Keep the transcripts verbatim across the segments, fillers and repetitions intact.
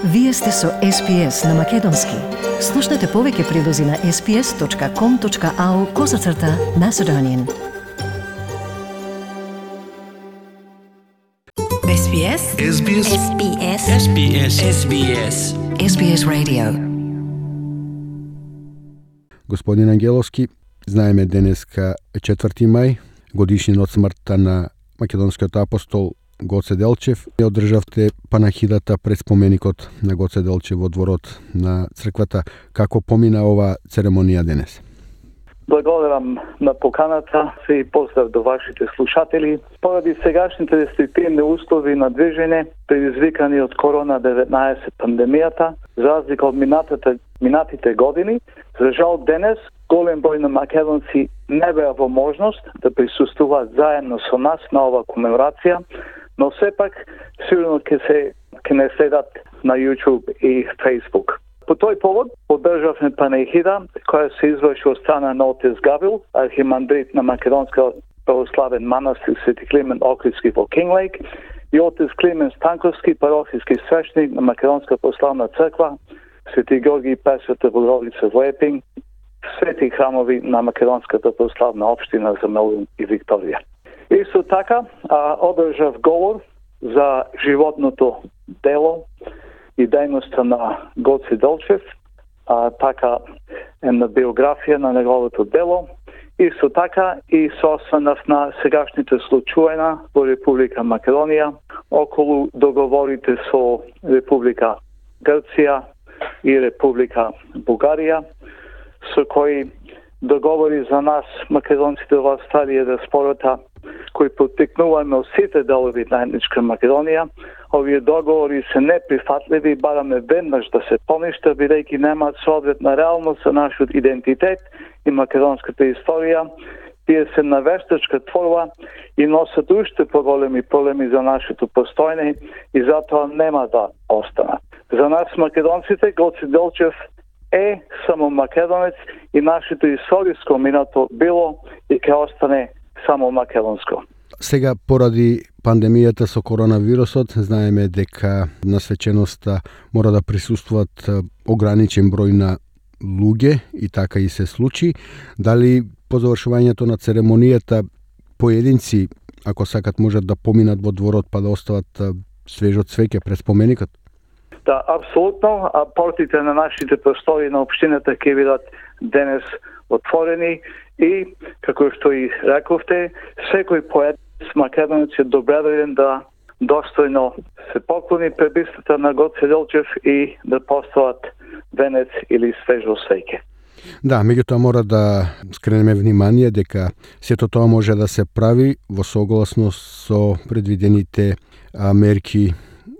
Вие сте со Ес Би Ес на Македонски. Слушнете повеќе прилози на ес би ес точка ком точка ау козацрта Macedonian. Ес Би Ес. Ес Би Ес. Ес Би Ес. Ес Би Ес. Ес Би Ес. Ес Би Ес Radio. Господин Ангеловски, знаеме денеска е четврти мај, годишнина од смртта на македонскиот апостол Гоце Делчев. Ја одржавте панахидата пред споменикот на Гоце Делчев во дворот на црквата. Како помина ова церемонија денес? Благодарам на поканата и поздрав до вашите слушатели. Поради сегашните рестриктивни услови на движење, предизвикани од корона деветнаесет пандемијата, за разлика од минатите, минатите години, за жал денес голем број на македонци не беа во можност да присуствуваат заедно со нас на ова комеморација, но сепак сигурно ќе се ќе не следат на YouTube и Facebook. По тој повод одржавме панехида која се изврши од страна на отец Гаврил, архимандрит на Македонска православен манастир Свети Климент Охридски во Кинглейк, и отец Климент Станковски, парохиски свещеник на Македонска православна црква Свети Георги и Пресвета Богородица во Епинг, свети храмови на Македонската православна општина за Мелбурн и Викторија. Исто така, одржав говор за животното дело и дејноста на Гоце Делчев, а, така една биографија на неговото дело. Исто така и се осврнав на сегашните случаи во Република Македонија, околу договорите со Република Грција и Република Бугарија, со кои договори за нас, македонците во Австралија, диаспората, кои поттикнуваме од сите делови на етничка Македонија. Овие договори се неприфатливи, бараме веднаш да се поништа, бидејќи немаат соодветна реалност за нашиот идентитет и македонската историја. Тие се навештачка творба и носат уште поголеми проблеми за нашето постојање и затоа нема да останат. За нас македонците Гоце Делчев е само македонец и нашето историско минато било и ќе остане само македонско. Сега, поради пандемијата со коронавирусот, знаеме дека на свеченоста мора да присуствуваат ограничен број на луѓе и така и се случи. Дали по завршувањето на церемонијата поединци, ако сакат, можат да поминат во дворот па да остават свежо цвеќе пред споменикот? Да, апсолутно. А портите на нашите простори на општината ќе бидат денес отворени и, како што и рековте, секој поет македонец е добредоен да достојно се поклони пред бистата на Гоце Делчев и да постават венец или свежо свеќе. Да, меѓутоа мора да скренеме внимание дека сето тоа може да се прави во согласност со предвидените а, мерки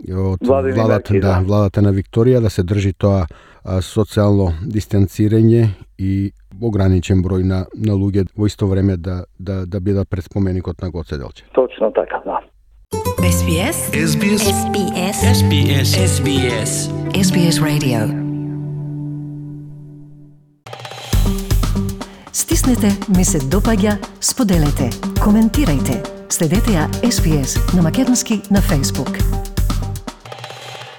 од Владини владата, мерки, да, да. владата на Викторија, да се држи тоа а, социјално дистанцирање и ограничен број на, на луѓе во исто време да, да, да бидат пред споменикот на Гоце Делчев. Точно така, да. Ес Би Ес. Ес Би Ес. Ес Би Ес. Ес Би Ес. Ес Би Ес. Ес Би Ес Radio. Стиснете, ми се допаѓа, споделете, коментирајте. Следете ја Ес Би Ес на македонски на Facebook.